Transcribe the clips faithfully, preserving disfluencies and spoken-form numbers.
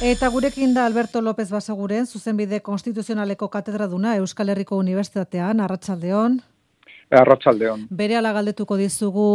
Eta gurekin da Alberto López Basaguren, zuzenbide konstituzionaleko katedraduna Euskal Herriko Unibertsitatean, arratsaldeon. Arratsaldeon. Berehala galdetuko dizugu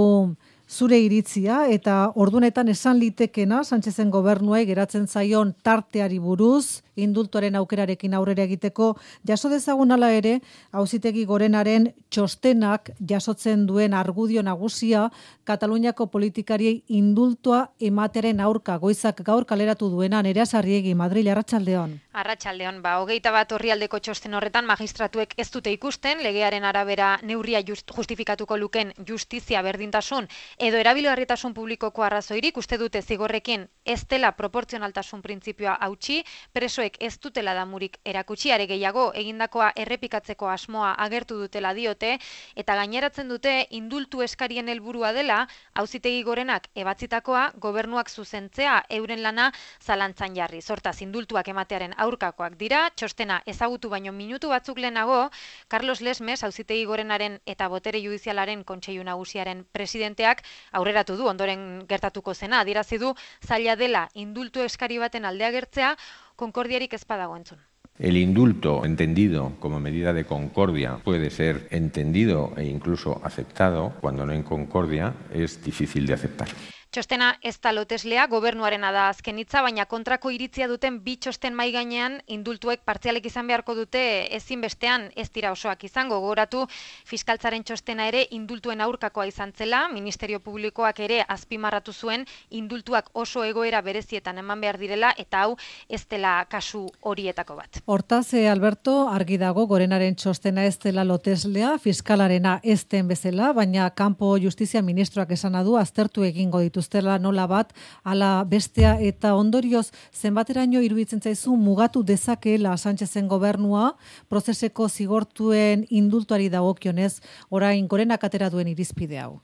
zure iritzia eta ordunetan esan litekena Sánchezen gobernuei geratzen zaion tarteari buruz, indultuaren aukerarekin aurrera egiteko, jaso dezagun hala ere, Auzitegi Gorenaren txostenak jasotzen duen argudio nagusia Kataluniako politikariei indultua ematearen aurka goizak gaur kaleratu duena Nerea Sarriegi, Madril, arratsaldeon. Arratsaldeon, ba, hogeita bat orrialdeko txosten horretan magistratuek ez dute ikusten, legearen arabera neurria just, justifikatuko luken justizia berdintasun edo erabilgarritasun publikoko arrazoirik, uste dute zigorrekin ez dela proportzionaltasun printzipioa hautsi, presoek ez dutela damurik erakutsi, are gehiago egindakoa errepikatzeko asmoa agertu dutela diote, eta gaineratzen dute indultu eskarien helburua dela, Auzitegi Gorenak ebatzitakoa gobernuak zuzentzea euren lana zalantzan jarri. Hortaz, indultuak ematearen aurkakoak dira, txostena ezagutu baino minutu batzuk lehenago, Carlos Lesmes, Auzitegi Gorenaren eta Botere Judizialaren Kontseilu Nagusiaren presidenteak aurreratu du, ondoren gertatuko zena, adierazi du zaila dela indultu eskari baten aldea gertzea, konkordiarik ez badago entzun. El indulto, entendido como medida de concordia, puede ser entendido e incluso aceptado. Cuando no hay concordia, es difícil de aceptar. Txostena ez da loteslea, gobernuarena da azken hitza, baina kontrako iritzia duten bi txosten mai gainean indultuek partzialek izan beharko dute ezinbestean ez dira osoak izango. Gogoratu fiskaltzaren txostena ere indultuen aurkakoa izan zela, Ministerio Publikoak ere azpimarratu zuen indultuak oso egoera berezietan eman behar direla eta hau ez dela kasu horietako bat. Hortaz, Alberto, argi dago Gorenaren txostena ez dela loteslea, fiskalarena ez den bezala, baina kanpo justizia ministroak esana du aztertu egingo ditu ustela nola bat, ala bestea eta ondorioz zenbateraino iruditzen zaizu mugatu dezakeela Sánchezen gobernua prozeseko zigortuen indultuari dagokionez orain Gorenak atera duen irizpide hau.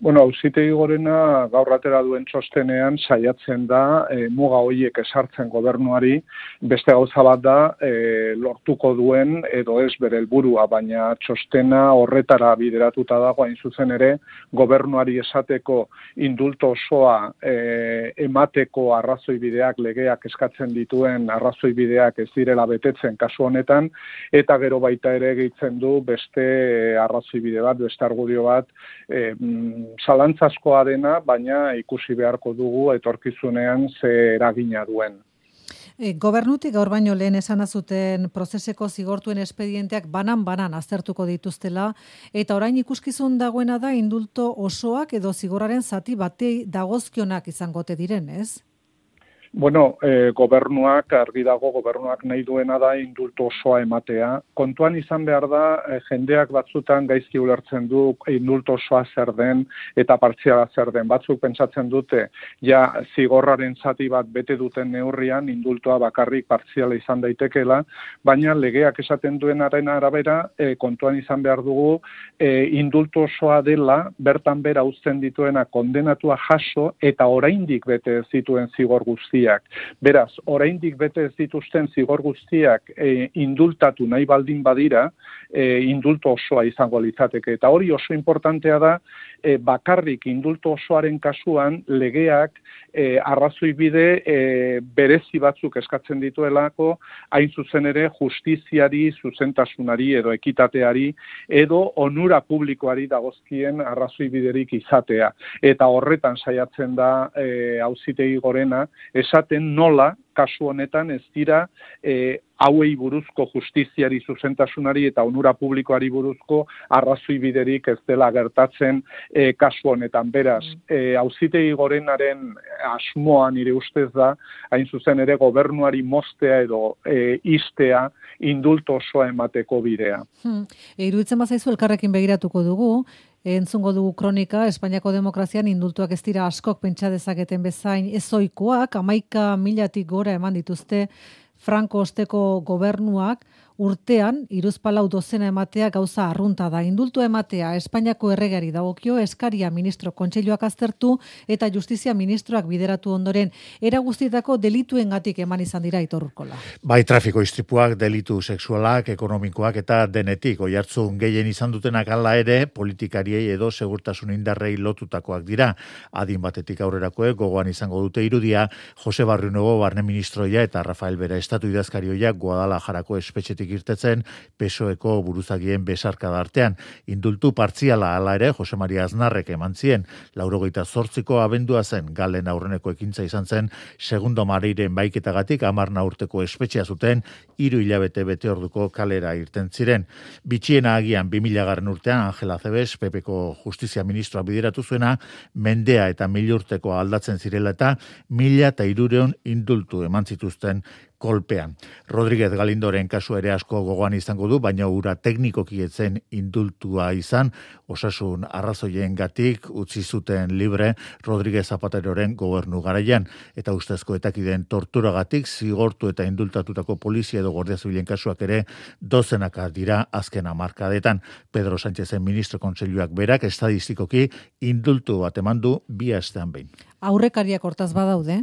Bueno, Auzitegi Gorena gaur atera duen txostenean saiatzen da e, muga horiek esartzen gobernuari, beste gauza bat da e, lortuko duen edo ez bere helburua, baina txostena horretara bideratuta dago hain zuzen ere gobernuari esateko indulto osoa e, emateko arrazoibideak legeak eskatzen dituen arrazoibideak ez direla betetzen kasu honetan, eta gero baita ere gehitzen du beste arrazoibide bat, beste argudio bat, e, zalantzazkoa dena, baina ikusi beharko dugu etorkizunean ze eragina duen. E, gobernutik gaur baino lehen esan azuten prozeseko zigortuen espedienteak banan-banan aztertuko dituztela, eta orain ikuskizun dagoena da indulto osoak edo zigorraren zati batei dagozkionak izangote diren, ez? Bueno, eh, gobernuak, argi dago, gobernuak nahi duena da indultu osoa ematea. Kontuan izan behar da, eh, jendeak batzutan gaizki ulertzen du indultu osoa zer den eta partziala zer den. Batzuk pentsatzen dute, ja zigorraren zati bat bete duten neurrian indultua bakarrik partziala izan daitekeela, baina legeak esaten duenaren arabera, eh, kontuan izan behar dugu, eh, indultu osoa dela, bertan bera uzten dituena kondenatua jaso eta oraindik bete ez dituen zigor guzti. Beraz, oraindik bete ez dituzten zigor guztiak e, indultatu nahi baldin badira, e, indultu osoa izango litzateke. Eta hori oso importantea da, e, bakarrik indultu osoaren kasuan legeak e, arrazoibide e, berezi batzuk eskatzen dituelako, hain zuzen ere justiziari, zuzentasunari edo ekitateari edo onura publikoari dagozkien arrazoibiderik izatea. Eta horretan saiatzen da e, Auzitegi Gorena, esaten nola, kasu honetan ez dira e, hauei buruzko justiziari zuzentasunari eta onura publikoari buruzko arrazoi biderik ez dela gertatzen e, kasu honetan. Beraz, e, Auzitegi Gorenaren asmoa nire ustez da, hain zuzen ere gobernuari moztea edo e, istea indultu osoa emateko bidea. Hmm. E, iruditzen bazaizu elkarrekin begiratuko dugu, entzungo dugu kronika, Espainiako demokrazian indultuak ez dira askok pentsa dezaketen bezain ezoikoak, hamaika milatik gora eman dituzte Franco osteko gobernuak, urtean hiruzpalau dozena ematea gauza arrunta da. Indultu ematea Espainiako erregeari dagokio, eskaria ministro kontseiluak aztertu eta justizia ministroak bideratu ondoren era guztietako delituengatik eman izan dira Aitor Urkola. Bai, trafiko istripuak, delitu sexualak, ekonomikoak eta denetik oihartzun gehien izan dutenak hala ere politikariei edo segurtasun indarrei lotutakoak dira. Adin batetik aurrerakoek gogoan izango dute irudia Jose Barrionuevo barne ministroia eta Rafael Bera estatu idazkarioia Guadalajarako espetxetik irtetzen P S O Eko buruzagien besarkada artean. Indultu partziala hala ere Jose Maria Aznarrek eman zien laurogeita zortziko abendua zen Galen aurreneko ekintza izan zen segundo mareiren baiketagatik hamarna urteko espetxea zuten hiru hilabete bete orduko kalera irten ziren. Bitxiena agian bi milagarren urtean Angela Cebes Pepeko justizia ministroa bideratu zuena mendea eta mil urteko aldatzen zirela eta mila eta hirureun indultu eman zituzten kolpean. Rodríguez Galindoren kasu ere asko gogoan izango du, baina ura teknikoki etzen indultua izan, osasun arrazoiengatik utzi zuten libre Rodríguez Zapateroren gobernu garaian, eta ustezko etakideen torturagatik zigortu eta indultatutako polizia edo guardia zibilen kasuak ere dozenaka dira azken hamarkadetan. Pedro Sánchezen ministro kontseiluak berak estadistikoki indultu bat eman du bi astean behin. Aurrekariak hortaz badaude?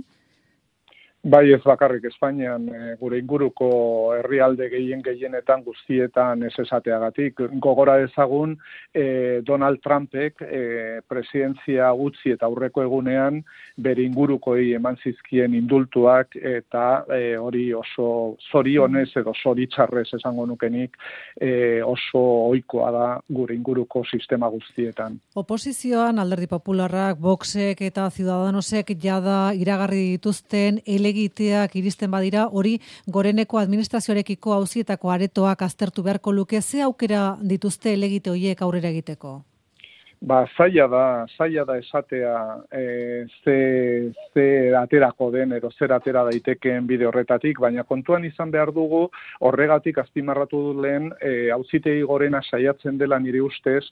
Bai, ez bakarrik Espainian, e, gure inguruko herrialde gehien gehienetan guztietan ez esateagatik. Gogora dezagun, e, Donald Trumpek e, presidentzia utzi eta aurreko egunean bere ingurukoei eman zizkien indultuak eta e, hori oso zorionez edo zoritxarrez esango nukenik e, oso ohikoa da gure inguruko sistema guztietan. Oposizioan Alderdi Popularrak, Voxek eta Ciudadanosek jada iragarri dituzten elegiteak iristen badira, hori goreneko administrazioarekiko auzietako aretoak aztertu beharko luke, ze aukera dituzte elegite horiek aurrera egiteko? Ba, zaila da, zaila da esatea e, ze, ze aterako den edo zer atera daitekeen bide horretatik, baina kontuan izan behar dugu horregatik azpimarratu dut lehen e, auzitegi gorena saiatzen dela nire ustez,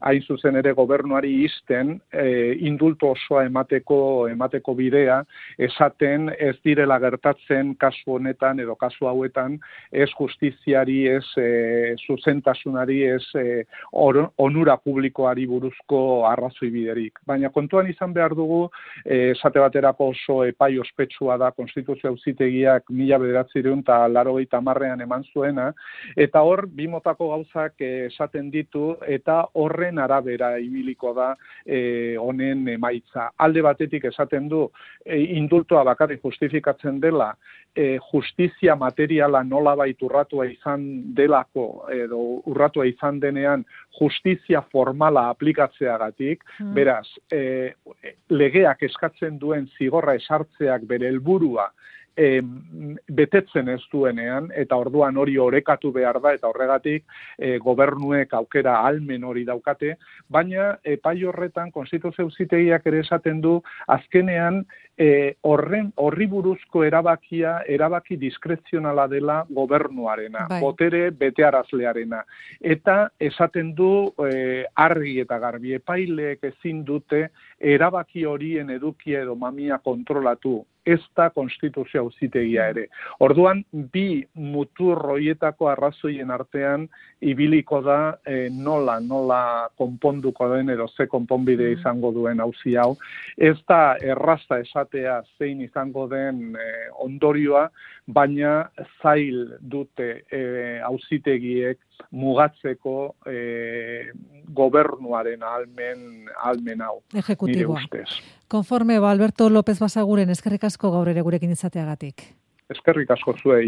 hain zuzen ere gobernuari isten e, indultu osoa emateko emateko bidea, esaten ez direla gertatzen kasu honetan edo kasu hauetan ez justiziari, ez e, zuzentasunari, ez e, or, onura publikoari buruz arrazoi biderik. Baina kontuan izan behar dugu, eh, esate baterako oso epai ospetsua da Konstituzio Auzitegiak mila bederatziehun eta laurogeita hamarrean eman zuena, eta hor bi motako gauzak eh, esaten ditu eta horren arabera ibiliko da eh, honen emaitza. Alde batetik esaten du eh, indultua bakarrik justifikatzen dela eh, justizia materiala nolabait urratua izan delako edo urratua izan denean justizia formala aplikatzeagatik, hmm. beraz, e, legeak eskatzen duen zigorra esartzeak bere helburua e, betetzen ez duenean, eta orduan hori orekatu behar da, eta horregatik e, gobernuek aukera ahalmen hori daukate, baina epai horretan Konstituzio Auzitegiak ere esaten du, azkenean e, horren horri buruzko erabakia, erabaki diskrezionala dela gobernuarena, bai. Botere betearazlearena. Eta esaten du e, argi eta garbi epaileek ezin dute erabaki horien edukia edo mamia kontrolatu. Ez da Konstituzio Auzitegia ere. Orduan, bi mutur horietako arrazoien artean ibiliko da e, nola, nola konponduko den edo ze konponbide izango duen auzi hau. Ez da erraza esatea zein izango den e, ondorioa, baina zail dute e, auzitegiek mugatzeko e, gobernuaren ahalmen, ahalmen hau. Ejecutiboa. Nire ustez. Konforme, ba, Alberto López Basaguren, eskerrik asko gaur ere gurekin izateagatik. Eskerrik asko zuei.